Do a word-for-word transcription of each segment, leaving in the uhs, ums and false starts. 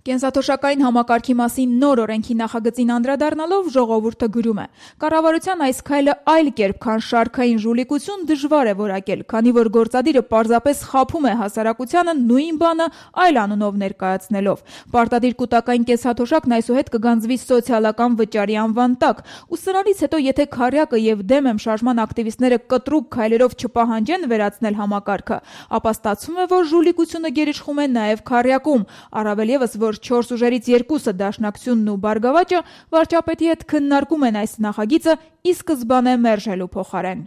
Կենսաթոշակային համակարգի մասին նոր օրենքի նախագծին անդրադառնալով ժողովուրդը գրում է. «Կառավարության այս քայլը այլ կերպ, քան շարքային ժուլիկություն դժվար է որակել, քանի որ գործադիրը պարզապես խաբում է հասարակությանը նույն բանը այլ անունով ներկայացնելով։ Պարտադիր կൂട്ടակային կենսաթոշակն այսուհետ կգանձվի սոցիալական վճարի անվան տակ, ու սրանից հետո եթե քառյակը եւ դեմ եմ շարժման ակտիվիստները կտրուկ քայլերով չպահանջեն վերացնել համակարգը, ապա ստացվում է, որ ժուլիկությունը գերիշխում է նաեւ քառյակում, առավել եւս որ չորս ուժերից երկուսը Դաշնակցությունն ու Բարգավաճը վարչապետի հետ քննարկում են այս նախագիծը ի սկզբանե մերժելու փոխարեն»։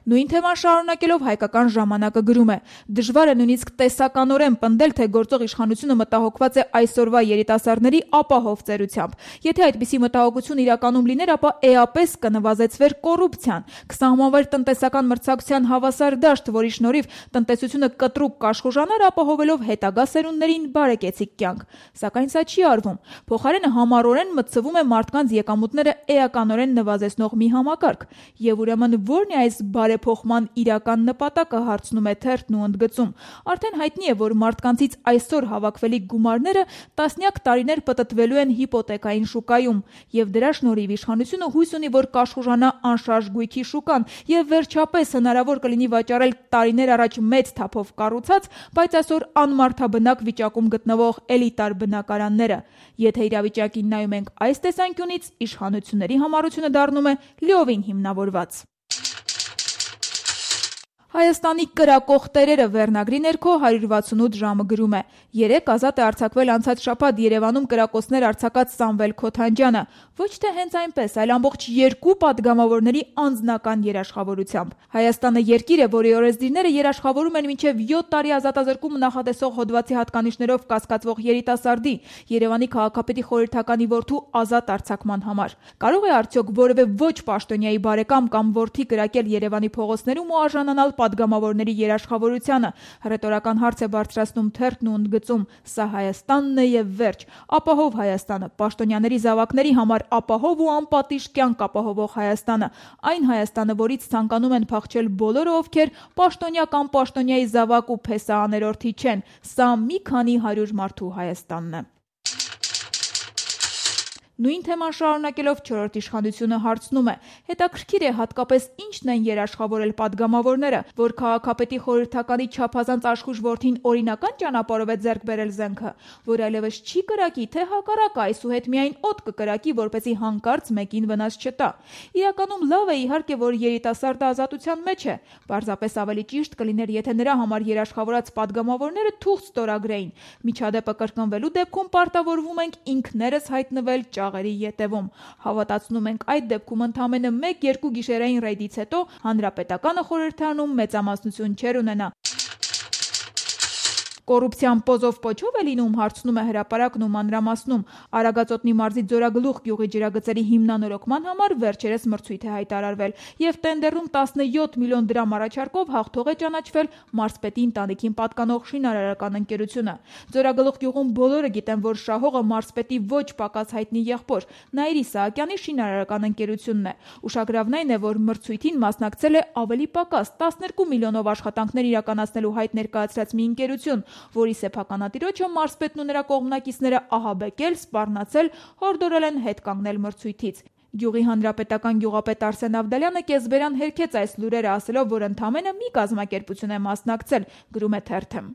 Նույն թեման շարունակելով հայկական ժամանակը գրում է. «Դժվար է նույնիսկ տեսականորեն պնդել, թե գործող իշխանությունը մտահոգված է այսօրվա երիտասարդների ապահով ծերությամբ։ Եթե այդպիսի մտահոգություն իրականում լիներ, ապա էապես կնվազեցվեր կոռուպցիան, կսահմանվեր տնտեսական մրցակցության հավասար դաշտ, որի շնորհիվ տնտեսությունը կտրուկ կաշխուժանար, ապահովելով հետագա սերունդներին բարեկեցիկ կյանք։ Սակայն սա չի արվում։ Փոխարենը համառորեն մտցվում է մարդկանց եկամուտները էականորեն նվազեցնող մի համակարգ։ Եվ ուրեմն ո՞րն է այս բարեփոխման իրական նպատակը, հարցնում է թերթն ու ընդգծում։ Արդեն հայտնի է, որ մարդկանցից այսօր հավաքվելիք գումարները տասնյակ տարիներ պտտվելու են հիպոթեկային շուկայում, եւ դրա շնորհիվ իշխանությունը հույս ունի, որ կաշխուժանա անշարժ գույքի շուկան, եւ վերջապես հնարավոր կլինի վաճառել տարիներ առաջ մեծ թափով կառուցած, բայց այսօր անմարդաբնակ վիճակում գտնվող էլիտար բնակարանները։ Եթե իրավիճակին նայում ենք այս տեսանկյունից, իշխանությունների համառությունը դառնում է լիովին հիմնավորված։ Հայաստանի կրակող տերերը վերնագրի ներքո հարյուր վաթսունութ ժամը գրում է. «Երեկ ազատ է արձակվել անցած շաբաթ Երևանում կրակոցներ արձակած Սամվել Քոթանջյանը, ոչ թե հենց այնպես, այլ ամբողջ երկու պատգամավորների անձնական երաշխավորությամբ։ Հայաստանը երկիր է, որի օրենսդիրները երաշխավորում են մինչև յոթ տարի ազատազրկում նախատեսող հոդվածի հատկանիշներով կասկածվող երիտասարդի, Երևանի քաղաքապետի խորհրդականի որդու ազատ արձակման համար։ Կարող է արդյոք որևէ ոչ պաշտոնյայի բարեկամ կամ որդի կրակել Երևանի փողոցներում ու արժանանալ պատգամավորների երաշխավորությանը»։ Հռետորական հարց է բարձրացնում թերթն ու ընդգծում. «Սա Հայաստանն է եւ վերջ։ Ապահով Հայաստանը, պաշտոնյաների զավակների համար ապահով ու անպատիժ կյանք ապահովող Հայաստանը, այն Հայաստանը, որից ցանկանում են փախչել բոլորը, ովքեր պաշտոնյա կամ պաշտոնյայի զավակ ու փեսա-աներորդի չեն։ Սա մի քանի հարյուր մարդու Հայաստանն է»։ Նույն թեման շարունակելով չորրորդ իշխանությունը հարցնում է. «Հետաքրքիր է հատկապես ինչն են երաշխավորել պատգամավորները, որ քաղաքապետի խորհրդականի չափազանց աշխույժ որդին օրինական ճանապարհով է ձեռք բերել զենքը, որ այլևս չի կրակի, թե հակառակը այսուհետ միայն օդ կկրակի, որպեսզի հանկարծ մեկին վնաս չտա։ Իրականում լավ է իհարկե, որ երիտասարդը ազատության մեջ է, պարզապես ավելի ճիշտ կլիներ, եթե նրա համար երաշխավորած պատգամավորները թուղթ ստորագրեին։ Միջադեպը կրկնվելու դեպքում պարտավորվում ենք ինքներս հայտնվել ճաղերի ետևում։ Հավատացնում ենք այդ դեպքում ընդամենը մեկ-երկու գիշերային ռեյդից հետո հանրապետականը խորհրդարանում մեծամասնություն չէր ունենա։ Կոռուպցիան պոզով պոչով է լինում, հարցնում է հրապարակն ու մանրամասնում։ Արագածոտնի մարզի Ձորագլուխ գյուղի ջրագծերի հիմնանորոգման համար վերջերս մրցույթ է հայտարարվել, եւ տենդերում տասնյոթ միլիոն դրամ առաջարկով հաղթող է ճանաչվել Մարզպետի ընտանիքին պատկանող շինարարական ընկերությունը։ Ձորագլուխ գյուղում բոլորը գիտեն, որ շահողը Մարզպետի ոչ պակաս հայտնի եղբոր Նաիր Իսահակյանի շինարարական ընկերությունն է։ Ուշագրավն այն է, որ մրցույթին մասնակցել է ավելի պակաս տասներկու միլիոնով աշխատանքներ իրականացնելու հայտ ներկայացրած մի ընկերություն, որի սեփականատիրոջը Մարզպետն ու նրա կողմնակիցները ահաբեկել, սպառնացել, հորդորել են հետ կանգնել մրցույթից։ Գյուղի հանրապետական գյուղապետ Արսեն Ավդալյանը կեսբերան հերքեց այս լուրերը, ասելով, որ ընդամենը մի կազմակերպություն է մասնակցել, գրում է թերթը։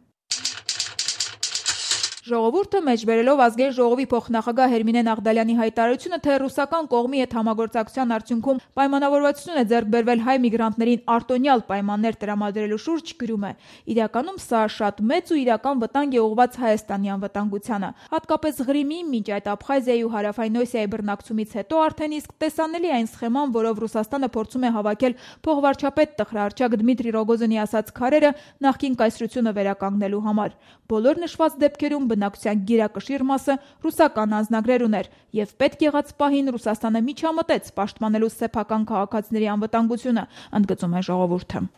Ժողովուրդը մեջբերելով Ազգային ժողովի փոխնախագահ Հերմինե Նաղդալյանի հայտարարությունը, թե ռուսական կողմի հետ համագործակցության արդյունքում պայմանավորվածություն է ձեռք բերվել հայ միգրանտներին արտոնյալ պայմաններ տրամադրելու շուրջ, գրում է. «Իրականում սա շատ մեծ ու իրական վտանգ է ուղղված Հայաստանի անվտանգությանը։ Հատկապես Ղրիմի, մինչ այդ Աբխազիայի ու Հարավային Օսիայի բռնակցումից հետո արդեն իսկ տեսանելի այն սխեման, որով Ռուսաստանը փորձում է հավաքել փոխվարչապետ տխրահռչակ Դմիտրի Ռոգոզինի ասած քարերը նախկին կայսրությունը վերականգնելու համար։ Բոլոր նշված դեպքերում բնակչության գերակշիռ մասը ռուսական անձնագրեր ուներ, եւ պետք եղած պահին Ռուսաստանը միջամտեց պաշտպանելու սեփական քաղաքացիների անվտանգությունը», ընդգծում է ժողովուրդը։